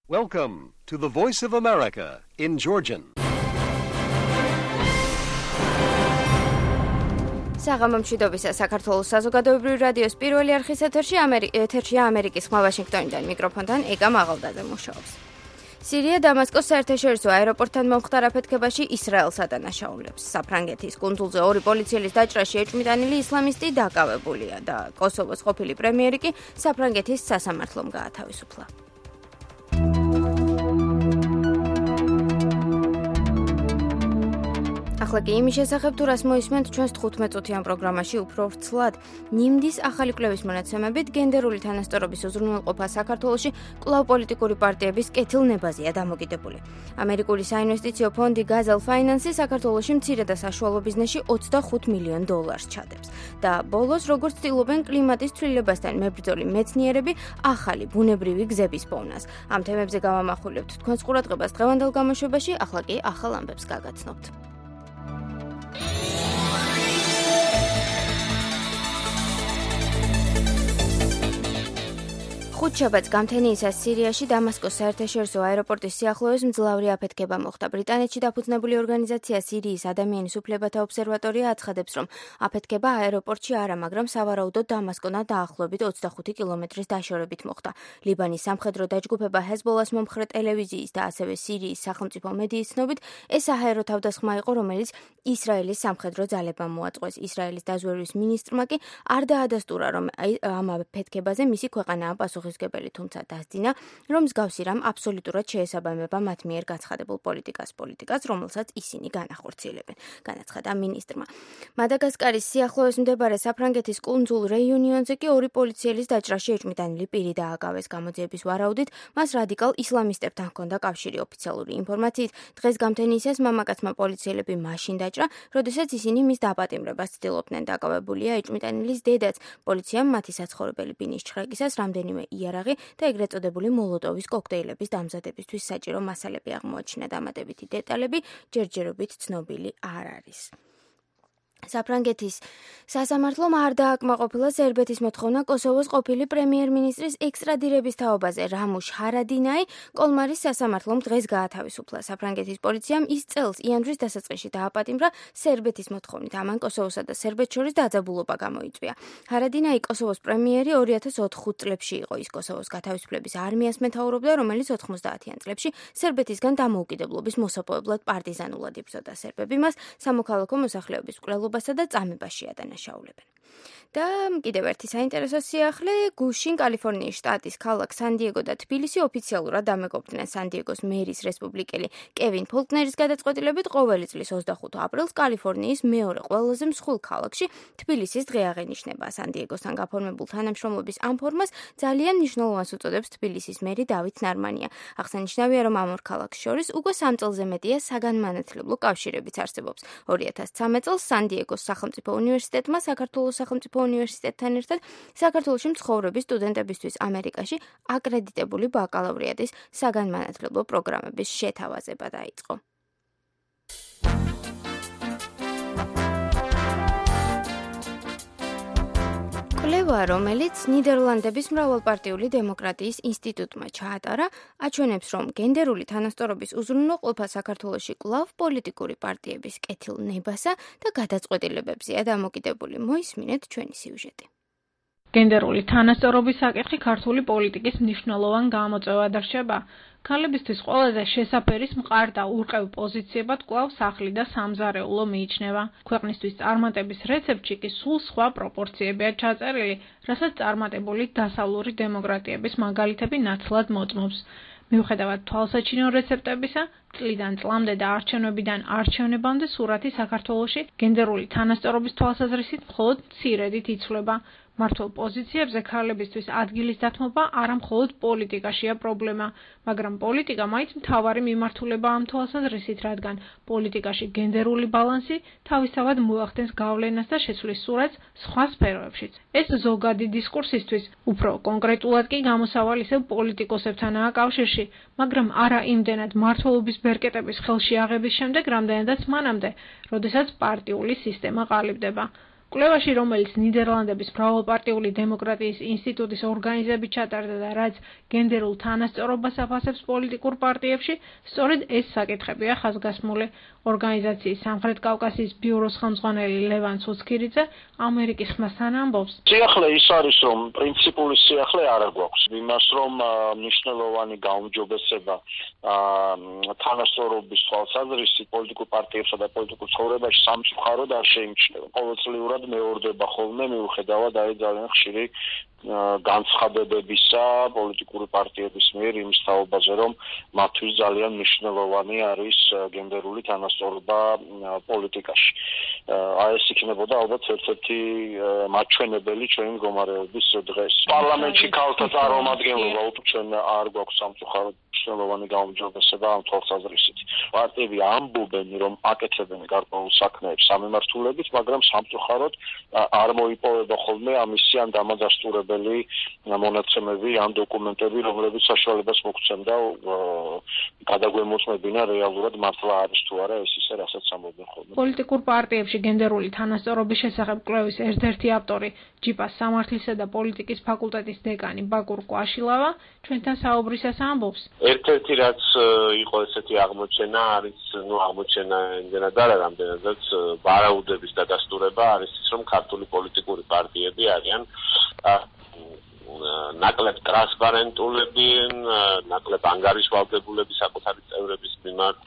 Welcome to the Voice of America in Georgian. საღამომშვიდობისა საქართველოს საზოგადოებრივი რადიოს პირველი არხის ეთერშია ამერიკის ხმა ვაშინგტონიდან მიკროფონთან ეკა მაღალდაძე მუშაობს. სირია დამასკოს საერთაშორისო აეროპორტთან მომხდარ აფეთქებაში ისრაელს ადანაშაულებს. საფრანგეთის კუნძულზე 2 პოლიციელის დაჭრაში ეჭვმიტანილი ისლამისტი დაკავებულია და კოსოვოს ყოფილი პრემიერი კი საფრანგეთის სასამართლომ გაათავისუფლა. ახლა კი იმის შესახებ თუ რას მოისმენთ ჩვენს 15-წუთიან პროგრამაში უფრო ვრცლად. ნიმდის ახალი კვლევის მონაცემებით გენდერული თანასწორობის უზრუნველყოფა საქართველოში კვლავ პოლიტიკური პარტიების კეთილნებაზეა დამოკიდებული. ამერიკული საინვესტიციო ფონდი Gazelle Finance საქართველოში მცირე და საშუალო ბიზნესში $25 მილიონ ჩადებს. და ბოლოს როგორც ცდილობენ კლიმატის ცვლილებასთან მებრძოლი მეცნიერები ახალი ბუნებრივი გზების პოვნას. ამ თემებზე გავამახვილებთ თქვენს ყურადღებას დღევანდელ გამოშვებაში, ახლა კი ახალ ამბებს გაგაცნობთ. ხუთშაბათს გამთენიისას სირიაში დამასკოს საერთაშორისო აეროპორტის სიახლოვეს მძლავრი აფეთქება მოხდა. ბრიტანეთში დაფუძნებული ორგანიზაცია სირიის ადამიანის უფლებათა ობსერვატორია აცხადებს, რომ აფეთქება აეროპორტში არა, მაგრამ სავარაუდოდ დამასკოდან დაახლოებით 25 კილომეტრის დაშორებით მოხდა. ლიბანის სამხედრო დაჯგუფება ჰეზბოლას მომხრე ტელევიზიის და ასევე სირიის სახელმწიფო მედიის ცნობით, ეს საჰაერო თავდასხმა იყო, რომელიც ისრაელის სამხედრო ძალებამ მოაწყვეს. ისრაელის დაზვერვის მინისტრმა კი არ დაადასტურა, რომ ამ აფეთქებაზე მისი ქვეყანაა პასუხისმგებელი, თუმცა დასძინა, რომ მსგავსი რამ აბსოლუტურად შეესაბამება მათ მიერ გაცხადებულ პოლიტიკას, რომელსაც ისინი განახორციელებენ, განაცხადა მინისტრმა. მადაგასკარის სიახლოვეს მდებარე საფრანგეთის კუნძულ რეიუნიონზე კი 2 პოლიციელის დაჭრაში ეჭვმიტანილი პირი დააკავეს. გამოძიების ვარაუდით მას რადიკალ ისლამისტებთან ჰქონდა კავშირი. ოფიციალური ინფორმაციით, დღეს გამთენიისას მამაკაცმა პოლიციელები მაშინ დაჭრა, როდესაც ისინი მის დაპატიმრებას ცდილობდნენ. დაკავებულია ეჭვმიტანილის დედაც. პოლიციამ მათი საცხოვრებელი ბინის ჩხრეკისას რამდენიმე იარაღი და ეგრეთ წოდებული მოლოტოვის კოქტეილების დამზადებისთვის საჭირო მასალები აღმოაჩინა. დამატებითი დეტალები ჯერჯერობით ცნობილი არ არის. საფრანგეთის სასამართლომ არ დააკმაყოფილა სერბეთის მოთხოვნა კოსოვოს ყოფილი პრემიერ-მინისტრის ექსტრადირების თაობაზე. რამუშ ჰარადინაი კოლმარის სასამართლომ დღეს გაათავისუფლა. საფრანგეთის პოლიციამ ის წელს იანვრის დასაწყისში დააპატიმრა სერბეთის მოთხოვნით. ამან კოსოვოსა და სერბეთს შორის დაძაბულობა გამოიწვია. ჰარადინაი კოსოვოს პრემიერი 2004 წლებში იყო. ის კოსოვოს გათავისუფლების არმიას მეთაურობდა, რომელიც 90-იან წლებში სერბეთისგან დამოუკიდებლობის მოსაპოვებლად პარტიზანულად იბრძოდა. სერბები მას სამოქალაქო მოსახლეობის მკვლელობასა და წამებაში ადანაშაულებენ. და კიდევ ერთი საინტერესო სიახლე, გუშინ კალიფორნიის შტატის ქალაქ სან-დიეგო და თბილისი ოფიციალურად დამეგობრდნენ. სან-დიეგოს მერის რესპუბლიკელი კევინ ფოლკნერის გადაწყვეტილებით ყოველი წლის 25 აპრილს კალიფორნიის მეორე ყველაზე მსხვილ ქალაქში თბილისის დღე აღენიშნება. სან-დიეგოსთან გაფორმებულ თანამშრომლობის ამ ფორმას ძალიან მნიშვნელოვანს უწოდებს თბილისის მერი დავით ნარმანია. აღსანიშნავია, რომ ამ ორ ქალაქს შორის უკვე 3 წელზე მეტია საგანმანათლებლო კავშირებიც არსებობს. 2013 წელს სან-დიეგოს სახელმწიფო უნივერსიტეტმა საქართველოს სახელმწიფო უნივერსიტეტთან ერთად საქართველოში მცხოვრები სტუდენტებისთვის ამერიკაში აკრედიტებული ბაკალავრიატის საგანმანათლებლო პროგრამების შეთავაზება დაიწყო. კვლევა, რომელიც ნიდერლანდების მრავალპარტიული დემოკრატიის ინსტიტუტმა ჩაატარა, აჩვენებს, რომ გენდერული თანასწორობის უზრუნველყოფა საქართველოში კვლავ პოლიტიკური პარტიების კეთილნებასა და გადაწყვეტილებებზეა დამოკიდებული. მოისმინეთ ჩვენი სიუჟეტი. გენდერული თანასწორობის საკითხი ქართული პოლიტიკის მნიშვნელოვან გამოწვევად რჩება. ქალებისთვის ყველაზე შესაფერის მყარ და ურყევ პოზიციებად კვლავ სახლი და სამზარეულო მიიჩნევა. ქვეყნისთვის წარმატების რეცეპტში კი სულ სხვა პროპორციებია ჩაწერილი, რასაც წარმატებული დასავლური დემოკრატიების მაგალითები ნაცვლად მოწმობს. მიუხედავად თვალსაჩინო რეცეპტებისა, წლიდან წლამდე და არჩევნებიდან არჩევნებამდე სურათი საქართველოში გენდერული თანასწორობის თვალსაზრისით მხოლოდ მცირედით იცვლება. მართულ პოზიციებზე ქალებისთვის ადგილის დათმობა არა მხოლოდ პოლიტიკაშია პრობლემა, მაგრამ პოლიტიკა მაინც მთავარი მიმართულება ამ თვალსაზრისით, რადგან პოლიტიკაში გენდერული ბალანსი თავისთავად მოახდენს გავლენას და შეცვლის სურათს სხვა სფეროებშიც. ეს ზოგადი დისკურსისთვის უფრო კონკრეტულად კი გამოსავალ ისევ პოლიტიკოსებთანაა კავშირში, მაგრამ არა იმდენად მმართველობის ბერკეტების ხელში აღების შემდეგ, რამდენადაც მანამდე, როდესაც პარტიული სისტემა ყალიბდება. კვლევაში, რომელიც ნიდერლანდების მრავალპარტიული დემოკრატიის ინსტიტუტის ორგანიზებით ჩატარდა და რაც გენდერულ თანასწორობას აფასებს პოლიტიკურ პარტიებში, სწორედ ეს საკითხებია ხაზგასმული. ორგანიზაციის სამხრეთ კავკასიის ბიუროს ხელმძღვანელი ლევან ცუცქირიძე ამერიკის ხმასთან ამბობს. სიახლე ის არის, რომ პრინციპული სიახლე არ გვაქვს. იმას, რომ მნიშვნელოვანი გაუმჯობესება თანასწორობის თვალსაზრისით პოლიტიკურ პარტიებსა და პოლიტიკურ ცხოვრებაში სამწუხაროდ არ შეიმჩნევა. ყოველწლიურად მეორდება ხოლმე მიუხედავად ძალიან ხშირი განცხადებებისა პოლიტიკური პარტიების მიერ იმის თაობაზე, რომ მათთვის ძალიან მნიშვნელოვანი არის გენდერული თანასწორობა პოლიტიკაში. ეს იქნებოდა ალბათ ერთ-ერთი მაჩვენებელი ჩვენი მდგომარეობის დღეს. პარლამენტში ქალთა წარმომადგენლობა ჩვენ არ გვაქვს სამწუხაროდ მნიშვნელოვანი გაუმჯობესება ამ თვალსაზრისით. პარტიები ამბობენ, რომ აკეთებენ გარკვეულ საქმეებს სამემართულებით, მაგრამ სამწუხაროდ არ მოიპოვება ხოლმე ამისი ან დამადასტურებელი მონაცემები ან დოკუმენტები, რომლებიც საშუალებას მოგცემდა გადაგვემოწმებინა რეალურად მართლა არის თუ არა ეს ისე, რასაც ამბობენ ხოლმე. პოლიტიკურ პარტიებში გენდერული თანასწორობის შესახებ კვლევის ერთ-ერთი ავტორი, ჯიპას სამართლისა და პოლიტიკის ფაკულტეტის დეკანი ბაკურ კვაშილავა ჩვენთან საუბრისას ამბობს. ერთ-ერთი რაც იყო ესეთი აღმოჩენა არის, აღმოჩენა იმდენად არა, რამდენადაც ვარაუდების დადასტურება არის ის, რომ ქართული პოლიტიკური პარტიები არიან ნაკლებ ტრანსპარენტულები, ნაკლებ ანგარიშვალდებულები საკუთარი წევრების მიმართ,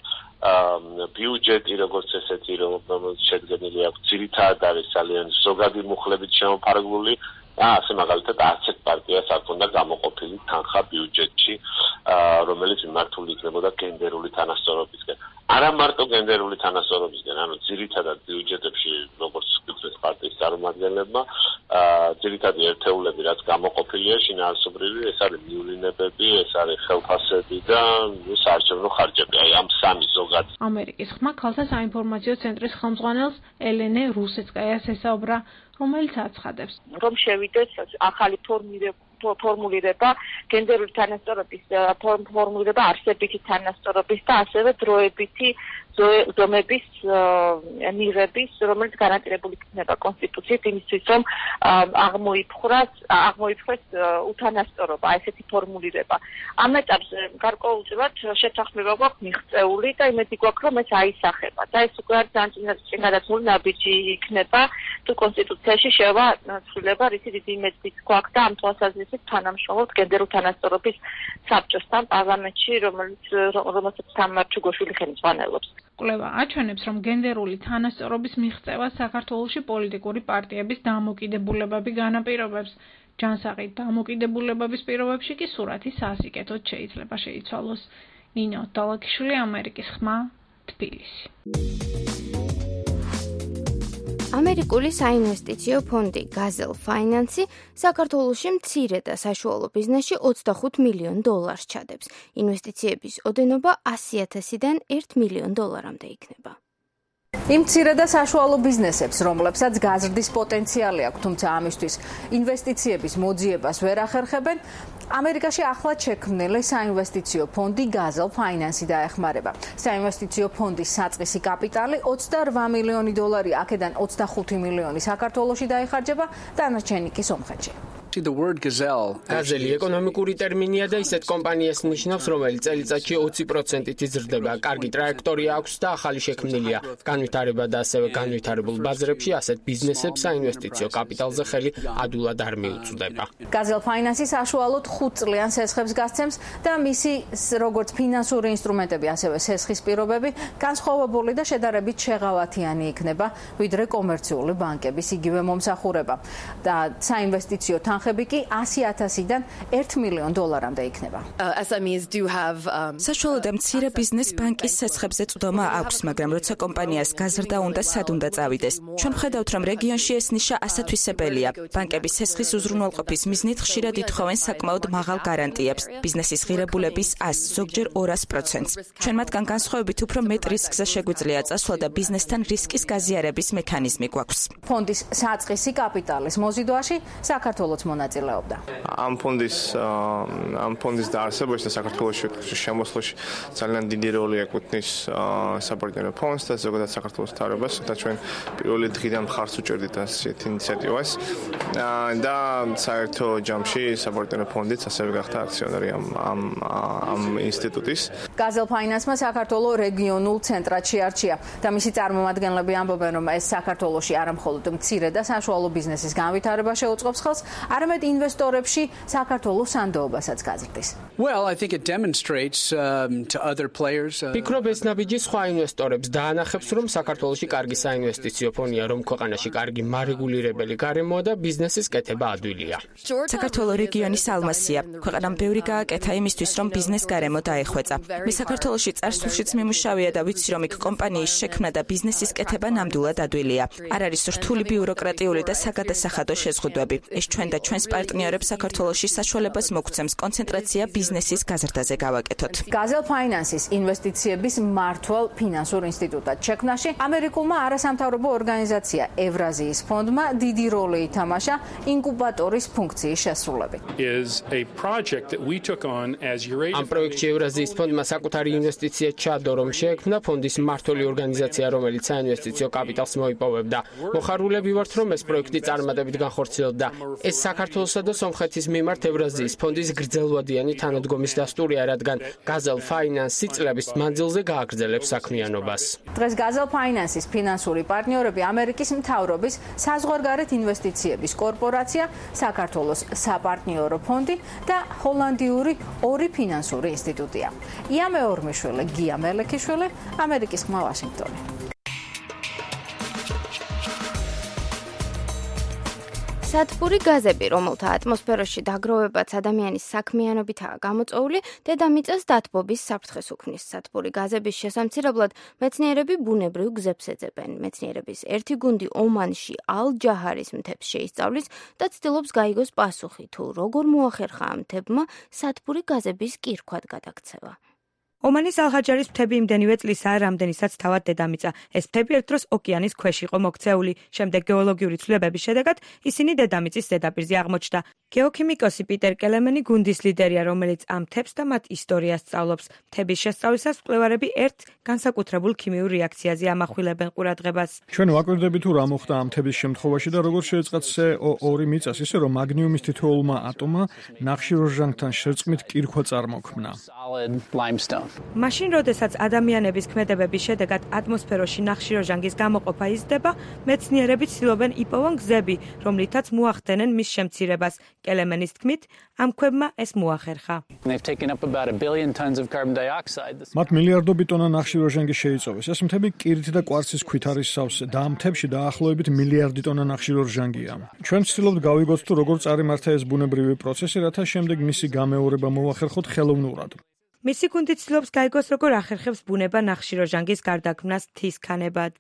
ბიუჯეტი როგორც ესეთი, რომელიც შედგენილი აქვს ძირითადად არის ძალიან ზოგადი მუხლებით შემოფარგლული. ასე მაგალითად არც ერთ პარტიას არ ჰქონდა გამოყოფილი თანხა ბიუჯეტში, რომელიც მიმართული იქნებოდა გენდერული თანასწორობისკენ. არა მარტო გენდერული თანასწორობისკენ, ანუ ძირითადად ბიუჯეტებში, როგორც გვიქვეს პარტიის წარმომადგენლებმა, ძირითადი ერთეულები, რაც გამოყოფილია შინაარსობრივი, ეს არის მიულინებები, ეს არის ხელფასები და საარჩევნო ხარჯები. აი ამ სამი ზოგადად. ამერიკის ხმა ქალთა საინფორმაციო ცენტრის ხელმძღვანელს ელენე რუსეცკაიას ესაუბრა, რომელიც აცხადებს, რომ შევიდეს ახალი ფორმულირება გენდერული თანასწორობის ფორმულირება არსებითი თანასწორობის და ასევე დროებითი ზომების მიღების, რომელიც გარანტირებული იქნება კონსტიტუციით იმისთვის, რომ აღმოიფხვრას უთანასწორობა, ესეთი ფორმულირება. ამ ეტაპზე გარკვეულწილად შეთანხმება გვაქვს მიღწეული და იმედი გვაქვს, რომ ეს აისახება. და ეს უკვე არის განაწილებული ნაბიჯი იქნება, თუ კონსტიტუციაში შევა ცვლილება, რითი დიდი იმედი გვაქვს და ამ თვალსაზრისით თანამშრომლობთ გენდერულ თანასწორობის საბჭოსთან პარლამენტში, რომელსაც თამარ ჩუგოშვილი ხელმძღვანელობს. კვლევა აჩვენებს, რომ გენდერული თანასწორობის მიღწევა საქართველოში პოლიტიკური პარტიების დამოკიდებულებები განაპირობებს. ჯანსაღი დამოკიდებულებების პირობებში კი სურათი სასიკეთოდ შეიძლება შეიცვალოს. ნინო დალაკიშვილი, ამერიკის ხმა, თბილისი. ამერიკული საინვესტიციო ფონდი Gazelle Finance საქართველოში მცირე და საშუალო ბიზნესში $25 მილიონ ჩადებს. ინვესტიციების ოდენობა $100,000-დან $1 მილიონ იქნება. იმ მცირე და საშუალო ბიზნესებს, რომლებსაც გაზრდის პოტენციალი აქვს, თუმცა ამისთვის ინვესტიციების მოძიებას ვერ ახერხებენ, ამერიკაში ახლად შექმნილი საინვესტიციო ფონდი Gazelle Finance დაეხმარება. საინვესტიციო ფონდის საწყისი კაპიტალი $28 მილიონი, აქედან $25 მილიონი საქართველოში დაიხარჯება, დანარჩენი კი სომხეთში. გაზელი ეკონომიკური ტერმინია და ისეთ კომპანიას ნიშნავს, რომელიც წელიწადში 20%-ით იზრდება. კარგი ტრაექტორია აქვს და ახალი შექმნილია. განვითარება და ასევე განვითარებულ ბაზრებში ასეთ ბიზნესებს საინვესტიციო კაპიტალზე ხელი ადულად არ მიუწვდება. Gazelle Finance საშუალოდ 5 წლიან სესხებს გასცემს და მისი როგორც ფინანსური ინსტრუმენტები, ასევე სესხის პირობები განსხვავებული და შედარებით შეღავათიანი იქნება, ვიდრე კომერციული ბანკების იგივე მომსახურება. და საინვესტიციო თანხები კი $100,000-დან $1 მილიონ იქნება. საშუალო და მცირე ბიზნეს ბანკის სესხებზე წვდომა აქვს, მაგრამ როცა კომპანიას გაზრდა უნდა სად უნდა წავიდეს. ჩვენ ვხედავთ, რომ რეგიონში ეს ნიშა ასათვისებელია. ბანკების სესხის უზრუნველყოფის მიზნით ხშირად ითხოვენ საკმაოდ მაღალ გარანტიებს, ბიზნესის ღირებულების 100, ზოგჯერ 200%. ჩვენ მათგან განსხვავებით უფრო მეტ რისკზე შეგვიძლია წასვლა და ბიზნესთან რისკის გაზიარების მექანიზმი გვაქვს. ფონდის საწყისი კაპიტალის მოზიდვაში საქართველოს მონაწილეობდა. ამ ფონდის დაარსებაში და საქართველოში შემოსვლაში ძალიან დიდი როლი ეკუთვნის საპარტნიორო ფონდს და ზოგადად საქართველოს მთავრობას, და ჩვენ პირველი დღიდან მხარს უჭერდით ასეთ ინიციატივას და საერთო ჯამში საპარტნიორო ფონდიც ასევე გახდა აქციონერი ამ ინსტიტუტის. Gazelle Finance-მა საქართველოს რეგიონულ ცენტრად შეარჩია და მისი წარმომადგენლები ამბობენ, რომ ეს საქართველოში არა მხოლოდ მცირე და საშუალო ბიზნესის განვითარება შეუწყობს ხელს, არამედ ინვესტორებში საქართველოს სანდოობასაც გაზრდის. Well, I think it demonstrates to other players. Ფიქრობ ეს ნაბიჯი სხვა ინვესტორებს დაანახებს, რომ საქართველოში კარგი საინვესტიციო ფონია, რომ ქვეყანაში კარგი მარეგულირებელი გარემოა და ბიზნესის კეთება ადვილია. საქართველოს რეგიონის ალმასია. ქვეყანამ ბევრი გააკეთა იმისთვის, რომ ბიზნეს გარემო დაეხვეწა. მე საქართველოში წარსულშიც მიმუშავია და ვიცი, რომ იქ კომპანიის შექმნა და ბიზნესის კეთება ნამდვილად ადვილია. არ არის რთული ბიუროკრატიული და საგადასახადო შეზღუდვები. ეს ჩვენ და ჩვენს პარტნიორებს საქართველოში საშუალებას მოგცემს კონცენტრაცია ბიზნესის გაზრდაზე გავაკეთოთ. Gazelle Finance-ის ინვესტიციების მმართველ ფინანსურ ინსტიტუტად შექმნაში ამერიკულმა არასამთავრობო ორგანიზაცია ევრაზიის ფონდმა დიდი როლი ითამაშა ინკუბატორის ფუნქციის შესრულებით. ამ პროექტში ევრაზიის ფონდმა საკუთარი ინვესტიცია ჩადო, რომ შეექმნა ფონდის მმართველი ორგანიზაცია, რომელიც საინვესტიციო კაპიტალს მოიპოვებდა. მოხარულები ვართ, რომ ეს პროექტი წარმატებით განხორციელდა. ეს საქართველოსა და სომხეთის მიმართ ევრაზიის ფონდის გრძელვადიანი თანადგომის დასტურია, რადგან Gazelle Finance წლების მანძილზე გააგრძელებს საქმიანობას. დღეს Gazelle Finance-ის ფინანსური პარტნიორები ამერიკის მთავრობის საზღვარგარეთ ინვესტიციების კორპორაცია, საქართველოს საპარტნიორო ფონდი და ჰოლანდიური ორი ფინანსური ინსტიტუტია. ია მეორმიშვილი, გია მელექიშვილი, ამერიკის ხმა ვაშინგტონი. სათბური გაზები, რომელთა ატმოსფეროში დაგროვებაც ადამიანის საქმიანობითაა გამოწვეული, დედამიწას დათბობის საფრთხეს უქმნის. სათბური გაზების შესამცირებლად მეცნიერები ბუნებრივ გზებს ეძებენ. მეცნიერების ერთი გუნდი ომანში ალ-ჯაჰარის მთებს შეისწავლის და ცდილობს გაიგოს პასუხი, თუ როგორ მოახერხა ამ მთებმა სათბური გაზების კირქვად გადაქცევა. ომანის ალ-ჰაჯარის მთები იმდენივე წლისაა, რამდენისაც თავად დედამიწა. ეს მთები ერთ დროს ოკეანის ქვეშ იყო მოქცეული. შემდეგ გეოლოგიური ცვლილებების შედეგად ისინი დედამიწის ზედაპირზე აღმოჩნდა. გეოქიმიკოსი პიტერ კელემენი გუნდის ლიდერია, რომელიც ამ მთებს და მათ ისტორიას სწავლობს. მთების შესწავლისას მკვლევარები ერთ განსაკუთრებულ ქიმიურ რეაქციაზე ამახვილებენ ყურადღებას. ჩვენ ვაკვირდებით, თუ რა მოხდა ამ მთების შემთხვევაში და როგორ შეეწყათ CO2 მიწას, ისე რომ მაგნიუმის თითოეულმა ატომმა ნახშირორჟანგთან შერწყმით კირქვა წარმოქმნა. მაშინ, როდესაც ადამიანების ქმედებების შედეგად ატმოსფეროში ნახშირორჟანგის გამოყოფა იზრდება, მეცნიერები ცდილობენ იპოვონ გზები, რომლითაც მოახდენენ მის შემცირებას. კელემენის თქმით, ამ ქვებმა ეს მოახერხა. მათ მილიარდობით ტონა ნახშირორჟანგი შეიწოვეს. ეს მთები კირით და კვარცის ქვით არის სავსე და ამ მთებში დაახლოებით მილიარდი ტონა ნახშირორჟანგია. ჩვენ ვცდილობთ გავიგოთ, თუ როგორ წარიმართა ეს ბუნებრივი პროცესი, რათა შემდეგ მისი გამეორება მოახერხოთ ხელოვნურად. მისი გუნდი ცდილობს გაიგოს, როგორ ახერხებს ბუნება ნახშირორჟანგის გარდაქმნას მთის ქანებად.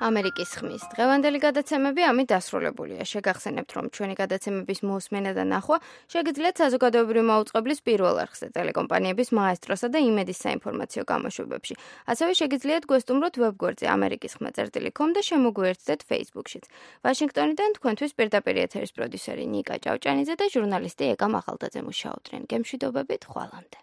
ამერიკის ხმის დღევანდელი გადაცემები ამით დასრულებულია. შეგახსენებთ, რომ ჩვენი გადაცემების მოსმენა და ნახვა შეგიძლიათ საზოგადოებრივი მაუწყებლის პირველ არხზე, ტელეკომპანიების მაესტროსა და იმედის საინფორმაციო გამოშვებებში. ასევე შეგიძლიათ გვესტუმროთ ვებგვერდზე amerikisxma.com და შემოგვიერთდეთ Facebook-შიც. ვაშინგტონიდან თქვენთვის პირდაპირ ეთერის პროდიუსერი ნიკა ჭავჭანიძე და ჟურნალისტი ეკა მაღალდაძე მუშაობდნენ. გემშვიდობებით, ხვალამდე.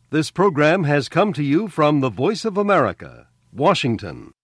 This program has come to you from the Voice of America, Washington.